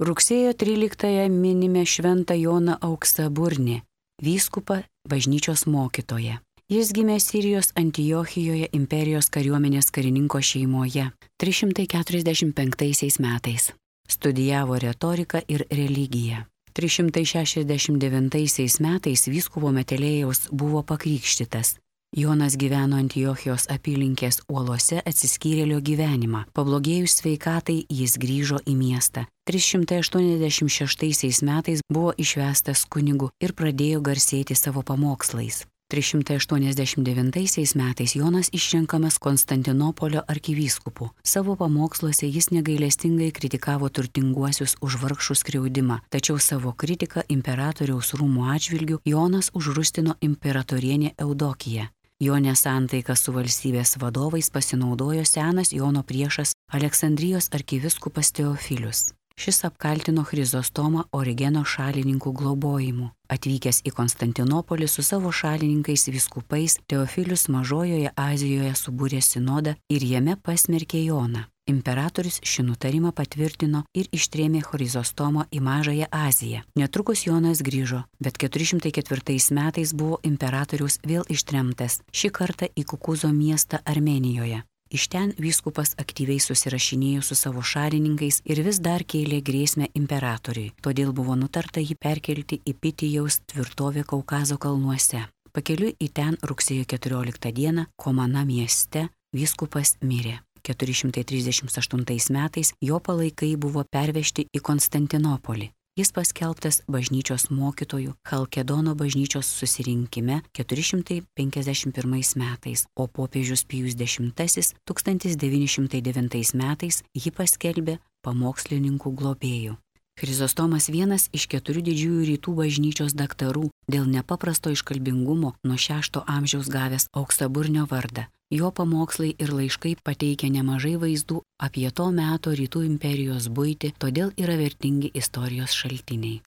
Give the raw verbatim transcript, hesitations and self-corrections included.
Rugsėjo tryliktąją minime šventą Joną Auksaburnį, vyskupą, bažnyčios mokytoją. Jis gimė Sirijos Antiochijoje imperijos kariuomenės karininko šeimoje trys šimtai keturiasdešimt penktaisiais metais. Studijavo retoriką ir religiją. trys šimtai šešiasdešimt devintaisiais metais vyskupo Metelėjaus buvo pakrikštytas. Jonas gyveno Antiochijos apylinkės uolose atsiskyrėlio gyvenimą. Pablogėjus sveikatai jis grįžo į miestą. trys šimtai aštuoniasdešimt šeštaisiais metais buvo išvestas kunigu ir pradėjo garsėti savo pamokslais. trys šimtai aštuoniasdešimt devintaisiais metais Jonas išrenkamas Konstantinopolio arkivyskupu. Savo pamoksluose jis negailestingai kritikavo turtinguosius už vargšų skriaudimą, tačiau savo kritiką imperatoriaus rūmų atžvilgių Jonas užrūstino imperatorienė Eudokiją. Jo nesantaiką su valstybės vadovais pasinaudojo senas Jono priešas Aleksandrijos arkivyskupas Teofilius. Šis apkaltino Chrizostomą Origeno šalininkų globojimu. Atvykęs į Konstantinopolį su savo šalininkais vyskupais, Teofilius Mažojoje Azijoje subūrė sinodą ir jame pasmerkė Joną. Imperatorius šį nutarimą patvirtino ir ištrėmė Chrizostomą į Mažąją Aziją. Netrukus Jonas grįžo, bet keturi šimtai ketvirtais metais buvo imperatorius vėl ištremtas, šį kartą į Kukuzo miestą Armėnijoje. Iš ten vyskupas aktyviai susirašinėjo su savo šalininkais ir vis dar kėlė grėsmę imperatoriui, todėl buvo nutarta jį perkelti į Pitijaus tvirtovę Kaukazo kalnuose. Pakeliui į ten rugsėjo keturioliktą dieną Komana mieste vyskupas mirė. keturi šimtai trisdešimt aštuntais metais jo palaikai buvo pervežti į Konstantinopolį. Jis paskelbtas bažnyčios mokytojų Chalkedono bažnyčios susirinkime keturi šimtai penkiasdešimt pirmais metais, o popiežius Pijus dešimtasis tūkstantis devyni šimtai devintais metais jį paskelbė pamokslininkų globėjų. Chrizostomas vienas iš keturių didžiųjų rytų bažnyčios daktarų, dėl nepaprasto iškalbingumo nuo šešto amžiaus gavęs Auksaburnio vardą. Jo pamokslai ir laiškai pateikia nemažai vaizdų apie to meto rytų imperijos buitį, todėl yra vertingi istorijos šaltiniai.